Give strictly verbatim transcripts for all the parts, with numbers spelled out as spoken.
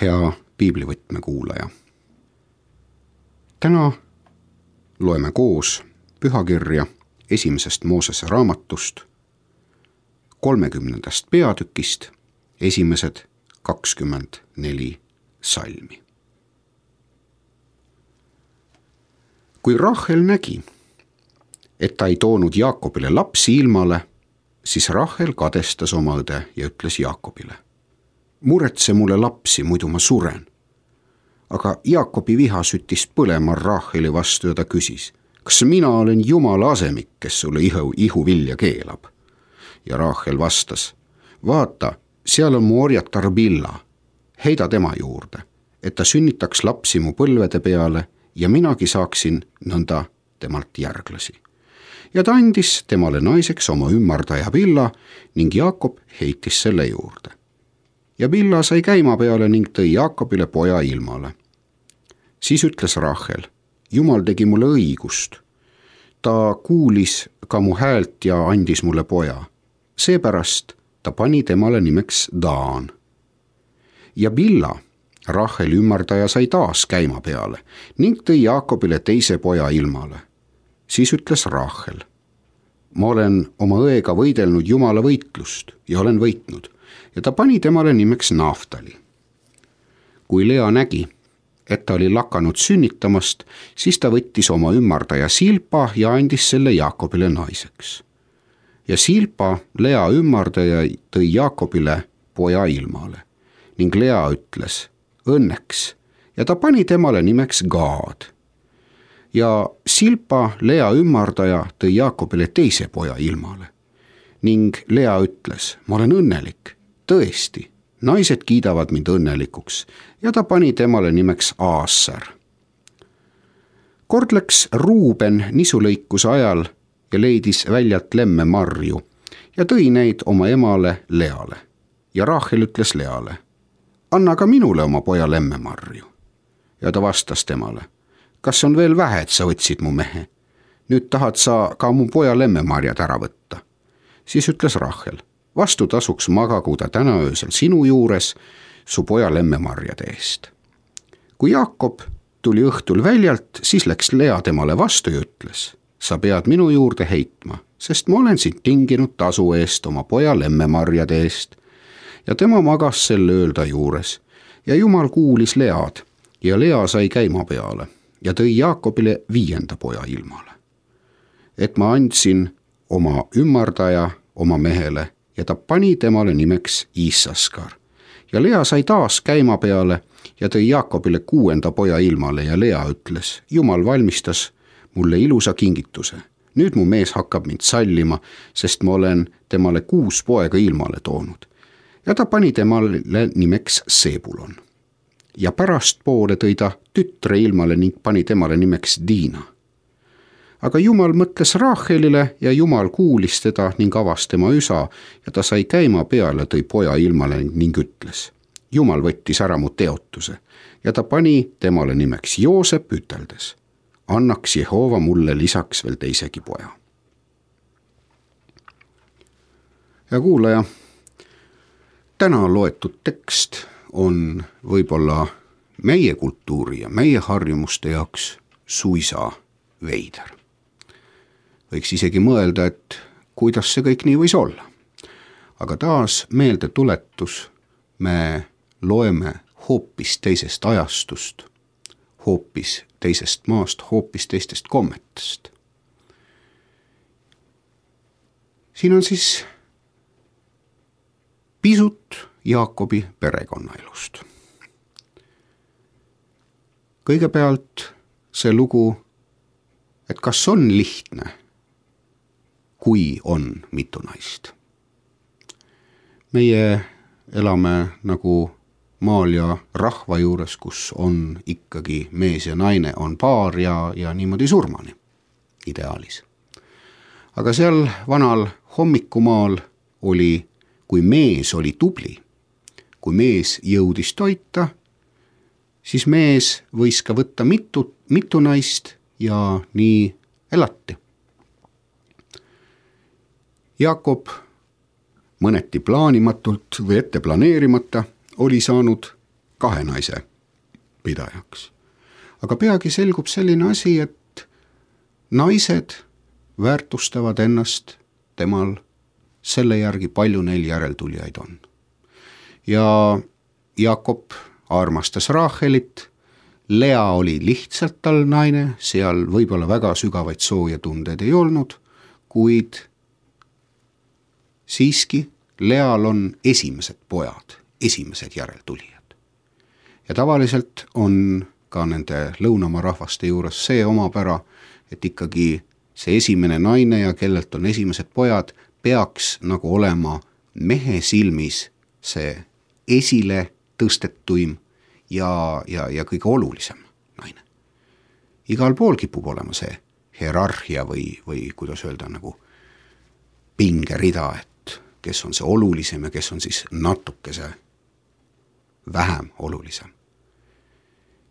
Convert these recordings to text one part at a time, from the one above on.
hea piiblivõtme kuulaja. Täna loeme koos pühakirja esimesest Moosese raamatust, kolmekümnendast peatükist, esimesed kakskümmend neli salmi. Kui Rahel nägi, et ta ei toonud Jaakobile lapsi ilmale, siis Rahel kadestas oma õde ja ütles Jaakobile: muretse mulle lapsi, muidu ma suren. Aga Jaakobi viha süttis põlema Raheli vastu ja ta küsis: kas mina olen Jumala asemik, kes sulle ihu, ihu vilja keelab? Ja Rahel vastas: vaata, seal on mu orjatar Billa, heida tema juurde, et ta sünnitaks lapsi mu põlvede peale ja minagi saaksin nõnda temalt järglasi. Ja ta andis temale naiseks oma ümmardaja Billa ning Jaakob heitis selle juurde. Ja Billa sai käima peale ning tõi Jaakobile poja ilmale. Siis ütles Rahel: Jumal tegi mulle õigust. Ta kuulis ka mu häält ja andis mulle poja. Seepärast ta pani temale nimeks Daan. Ja Billa, Rahel ümmardaja, sai taas käima peale ning tõi Jaakobile teise poja ilmale. Siis ütles Rahel: ma olen oma õega võidelnud Jumala võitlust ja olen võitnud, ja ta pani temale nimeks Naftali. Kui Lea nägi, et ta oli lakanud sünnitamast, siis ta võttis oma ümmardaja Silpa ja andis selle Jaakobile naiseks. Ja Silpa, Lea ümmardaja, tõi Jaakobile poja ilmale ning Lea ütles: õnneks, ja ta pani temale nimeks Gaad. Ja Silpa, Lea ümmardaja, tõi Jaakobile teise poja ilmale ning Lea ütles: ma olen õnnelik, tõesti, naised kiidavad mind õnnelikuks, ja ta pani temale nimeks Aasser. Kord läks Ruuben nisulõikuse ajal ja leidis väljalt lemme marju ja tõi neid oma emale Leale. Ja Rahel ütles Leale: anna ka minule oma poja lemme marju. Ja ta vastas temale: kas on veel vähe, et sa võtsid mu mehe? Nüüd tahad sa ka mu poja lemmemarjad ära võtta. Siis ütles Rahel: vastutasuks magagu ta täna öösel sinu juures su poja lemmemarjade eest. Kui Jaakob tuli õhtul väljalt, siis läks Lea temale vastu ja ütles: sa pead minu juurde heitma, sest ma olen sind tinginud tasu eest oma poja lemmemarjade eest. Ja tema magas sel ööl ta juures ja Jumal kuulis Lead ja Lea sai käima peale ja tõi Jaakobile viienda poja ilmale. Et ma andsin oma ümmardaja oma mehele ja ta pani temale nimeks Issaskar. Ja Lea sai taas käima peale ja tõi Jaakobile kuuenda poja ilmale ja Lea ütles: Jumal valmistas mulle ilusa kingituse. Nüüd mu mees hakkab mind sallima, sest ma olen temale kuus poega ilmale toonud. Ja ta pani temale nimeks Sebulon. Ja pärast poole tõi ta tütre ilmale ning pani temale nimeks Diina. Aga Jumal mõtles Rahelile ja Jumal kuulis teda ning avas tema üsa ja ta sai käima peale, tõi poja ilmale ning ütles: Jumal võttis ära mu teotuse, ja ta pani temale nimeks Joosep, üteldes: annaks Jehova mulle lisaks veel teisegi poja. Ja kuulaja, täna loetud tekst on võib-olla meie kultuuri ja meie harjumuste jaoks suisa veider. Võiks isegi mõelda, et kuidas see kõik nii võis olla. Aga taas meelde tuletus, me loeme hoopis teisest ajastust, hoopis teisest maast, hoopis teistest kommetest. Siin on siis pisut Jaakobi perekonnaelust. Kõigepealt see lugu, et kas on lihtne, kui on mitu naist. Meie elame nagu maal ja rahva juures, kus on ikkagi mees ja naine on paar ja, ja niimoodi surmani, ideaalis. Aga seal vanal hommikumaal oli, kui mees oli tubli, kui mees jõudis toita, siis mees võis ka võtta mitu, mitu naist ja nii elati. Jaakob mõneti plaanimatult või ette planeerimata oli saanud kahe naise pidajaks. aga peagi selgub selline asi, et naised väärtustavad ennast temal selle järgi, palju neil järeltulijaid on. ja Jaakob armastas Raachelit, Lea oli lihtsalt tal naine, seal võib-olla väga sügavaid sooja tundeid ei olnud, kuid siiski Leal on esimesed pojad, esimesed järeltulijad. ja tavaliselt on ka nende lõunamaa rahvaste juures see omapära, et ikkagi see esimene naine ja kellelt on esimesed pojad, peaks nagu olema mehe silmis see esile tõstetuim ja, ja, ja kõige olulisem naine. Igal pool kipub olema see hierarhia või, või kuidas öelda, nagu pingerida, et kes on see olulisem ja kes on siis natukese vähem olulisem.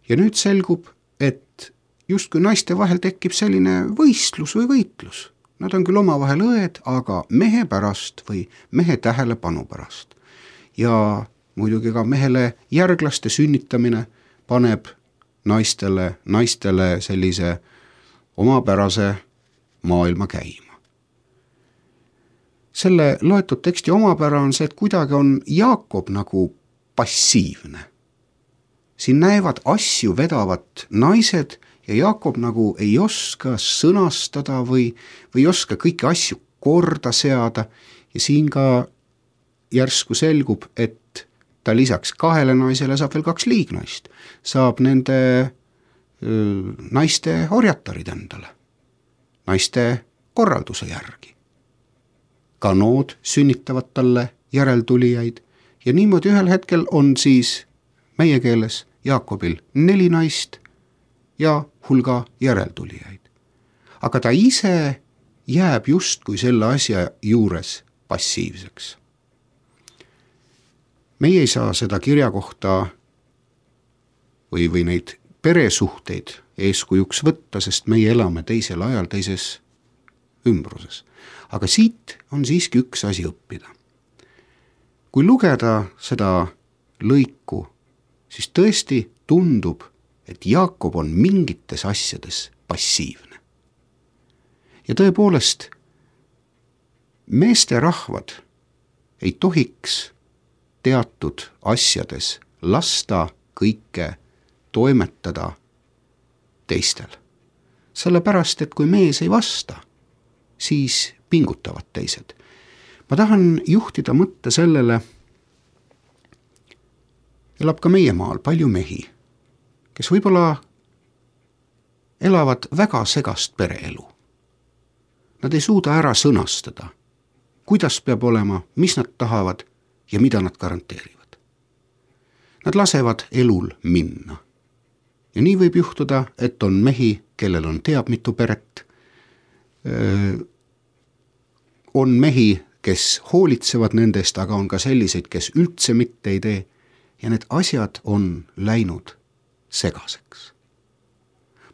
ja nüüd selgub, et justkui naiste vahel tekib selline võistlus või võitlus. Nad on küll omavahel õed, aga mehe pärast või mehe tähelepanu pärast. Ja muidugi ka mehele järglaste sünnitamine paneb naistele, naistele sellise omapärase maailma käima. Selle loetud teksti omapära on see, et kuidagi on Jaakob nagu passiivne. Siin näevad asju vedavat naised ja Jaakob nagu ei oska sõnastada või, või oska kõiki asju korda seada ja siin ka järsku selgub, et ta lisaks kahele naisele saab veel kaks liignaist, saab nende öö, naiste orjatarid endale, naiste korralduse järgi. Ka nood sünnitavad talle järeltulijaid ja niimoodi ühel hetkel on siis meie keeles Jaakobil neli naist ja hulga järeltulijaid. Aga ta ise jääb justkui selle asja juures passiivseks. Meie ei saa seda kirja kohta või, või neid peresuhteid eeskujuks võtta, sest meie elame teisel ajal teises ümbruses. Aga siit on siiski üks asi õppida. Kui lugeda seda lõiku, siis tõesti tundub, et Jaakob on mingites asjades passiivne. Ja tõepoolest, meesterahvad ei tohiks teatud asjades lasta kõike toimetada teistel. Sellepärast, et kui mees ei vasta, siis pingutavad teised. Ma tahan juhtida mõtte sellele, elab ka meie maal palju mehi, kes võib-olla elavad väga segast pereelu. Nad ei suuda ära sõnastada, kuidas peab olema, mis nad tahavad ja mida nad garanteerivad. Nad lasevad elul minna. Ja nii võib juhtuda, et on mehi, kellel on teab mitu peret, on mehi, kes hoolitsevad nendest, aga on ka selliseid, kes üldse mitte ei tee ja need asjad on läinud segaseks.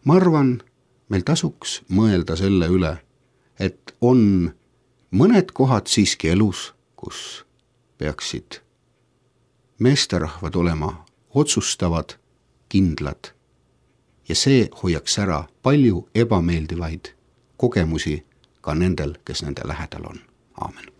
Ma arvan, meil tasuks mõelda selle üle, et on mõned kohad siiski elus, kus peaksid meesterahvad olema otsustavad, kindlad ja see hoiaks ära palju ebameeldivaid kogemusi ka nendel, kes nende lähedal on. Aamen.